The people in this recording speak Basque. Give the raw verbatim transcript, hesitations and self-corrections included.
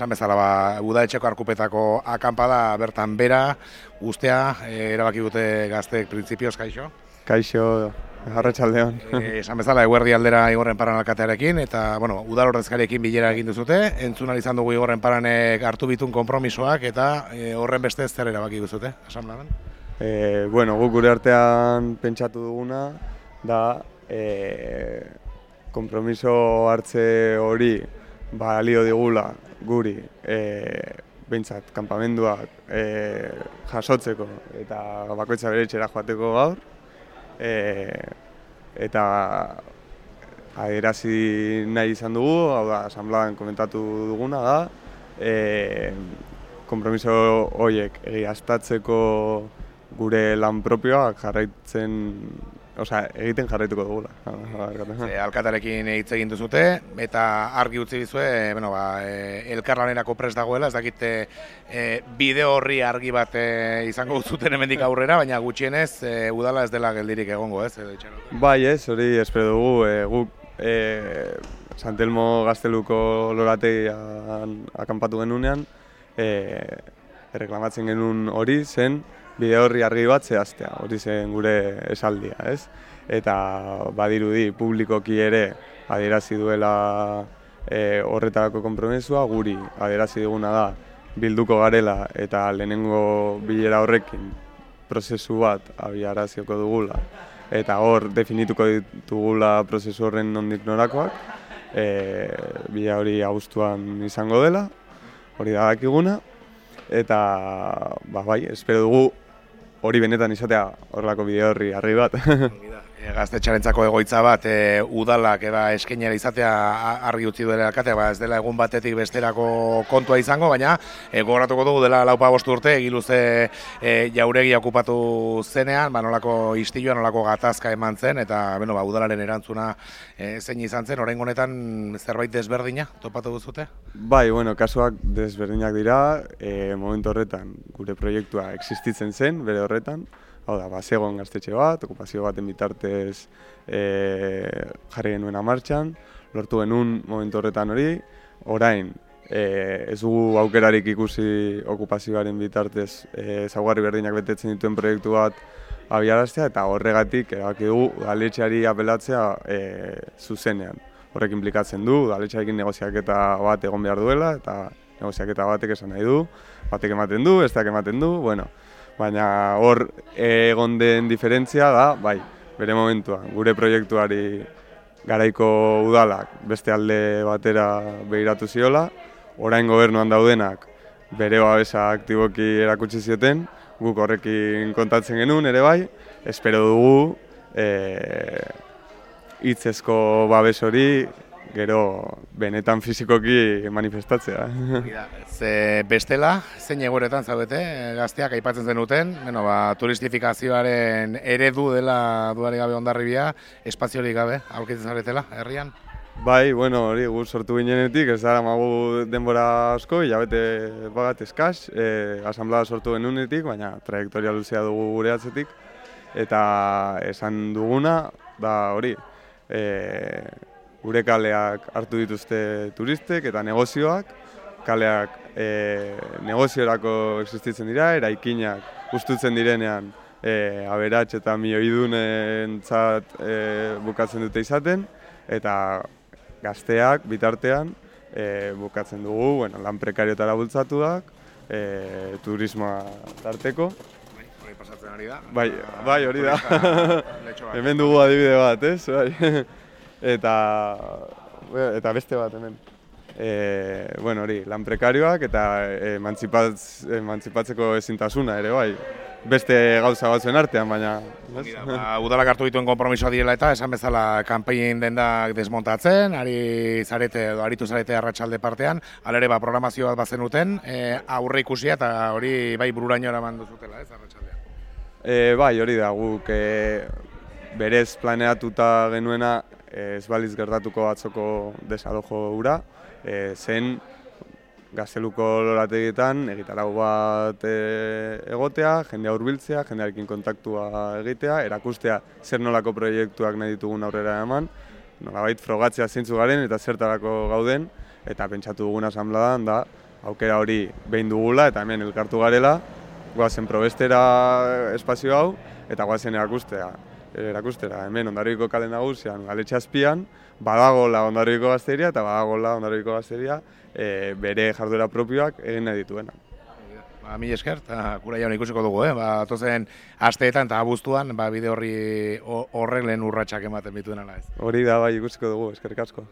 Esan bezala, ba, udaletxeko arkupetako akampada bertan bera, ustea, e, erabaki dute gazteek printzipioz, kaixo? Kaixo, arratsaldeon. E, esan bezala, eguerdi aldera Igorren Paran alkatearekin, eta, bueno, udal ordezkariekin bilera egin duzute, entzun ahal izan dugu Igorren Paranek hartu bitun konpromisoak, eta e, horren beste zer erabaki duzute, asamblean? E, bueno, guk gure artean pentsatu duguna, da, e, konpromiso hartze hori, balio digula, guri, e, behintzat, kanpamenduak e, jasotzeko eta bakoitza bere etxera joateko gaur. E, eta adierazi nahi izan dugu, hau da, asamblean komentatu duguna da, e, konpromiso horiek egiaztatzeko gure lan propioak jarraitzen, osea, egiten jarraituko dugula. E, alkatarekin hitz egin duzute, eta argi utzi dizue, bueno, ba, e, elkarlanerako prest dagoela, ez dakite e, bideo horri argi bat e, izango zuten hemendik aurrera, baina gutxienez e, udala ez dela geldirik egongo, ez? Edo itxarote. Bai, ez, hori espero dugu, e, guk e, Santelmo Gazteluko lorategian akampatu genunean, e, erreklamatzen genuen hori zen, bideo horri argi bat zehaztea, hori zen gure esaldia, ez? Eta badirudi publikoki ere adierazi duela e, horretarako konpromesua, guri adierazi duguna da bilduko garela eta lehenengo bilera horrekin prozesu bat abiarazioko dugula eta hor definituko ditugula prozesu horren nondik norakoak, e, bila hori abuztuan izango dela, hori da dakiguna, eta ba, bai, espero dugu hori benetan izatea horrelako bideo horri argi bat. E, Gaztetxarentzako egoitza bat, e, udalak eba eskainera izatea argi utzi duela alkatea, ba, ez dela egun batetik besterako kontua izango, baina e, gogoratuko dugu dela laupa bostu urte, egiluze e, jauregia okupatu zenean, ba, nolako istilua, nolako gatazka eman zen, eta bueno, ba, udalaren erantzuna e, zein izan zen, oraingo honetan zerbait desberdina topatu duzute? Bai, bueno, kasuak desberdinak dira, e, momentu horretan gure proiektua existitzen zen, bere horretan, hau da, bazegoen gaztetxe bat, okupazio baten bitartez e, jarri genuena martxan, lortu genuen momentu horretan hori, orain e, ez dugu aukerarik ikusi okupazioaren bitartez e, ezaugarri berdinak betetzen dituen proiektu bat abiaraztea, eta horregatik erabaki dugu udaletxeari apelatzea e, zuzenean. Horrek inplikatzen du, udaletxearekin negoziaketa bat egon behar duela, eta negoziaketa batek esan nahi du, batek ematen du, besteak ematen du, bueno, baina hor egon den diferentzia da, bai, bere momentuan, gure proiektuari garaiko udalak beste alde batera behiratu ziola, orain gobernuan daudenak bere babesa aktiboki erakutsi zioten, guk horrekin kontatzen genuen ere bai, espero dugu e, hitzezko babes hori gero benetan fizikoki manifestatzea. Ze bestela, zein egoeretan zaudete, gazteak aipatzen zenuten, bueno, ba, turistifikazioaren eredu dela dudarik gabe Hondarribia, espaziorik gabe, aurkitzen zaretela, herrian? Bai, bueno, hori gu sortu ginenetik, ez dara magu denbora asko, hilabete bagat eskas, e, asamblea sortu genunetik, baina trajektoria luzea dugu gure atzetik, eta esan duguna, da hori, e, gure kaleak hartu dituzte turistek eta negozioak, kaleak e, negoziorako existitzen dira, eraikinak ustutzen direnean e, aberats eta milioidunentzat e, bukatzen dute izaten, eta gazteak bitartean e, bukatzen dugu, bueno, lan prekariotara bultzatuak, e, turismoa tarteko. Hori pasatzen ari da. Bai, bai hori da. Hemen dugu adibide bat, ez? Bai. Eta, eta beste bat hemen. E, bueno, hori, lan prekarioak eta emantzipatz, emantzipatzeko ezintasuna ere, bai. Beste gauza batzuen artean, baina... Ba, udalak hartu dituen konpromisoa direla eta esan bezala kanpain dendak desmontatzen, ari zarete edo aritu zarete arratsalde partean, alere ba, programazio bat bazenuten, e, aurre ikusia eta hori bai bururaino eraman duzutela, ez, arratsaldean? E, bai, hori da, guk e, berez planeatuta genuena ez baliz gertatuko atzoko desalojo hura, e, zen Gazteluko lorategietan egitarau bat e, egotea, jendea hurbiltzea, jendearekin kontaktua egitea, erakustea zer nolako proiektuak nahi ditugun aurrera eman, nolabait frogatzea zeintzu garen eta zertarako gauden, eta pentsatu dugun asambladan da aukera hori behin dugula eta hemen elkartu garela, goazen probestera espazio hau eta goazen erakustea. erakustera, hemen Hondarribiko kale nagusian, Galetxe azpian, badagola Hondarribiko gazteria eta badagola Hondarribiko gazteria e, bere jarduera propioak egin nahi dituena. Ba, mil esker, eta kura jaun ikusiko dugu, eh? Ba, tozen asteetan eta abuztuan, ba, bide horri horrek lehen urratsak ematen bituen ala ez. Hori da, bai, ikusiko dugu, eskerrik asko.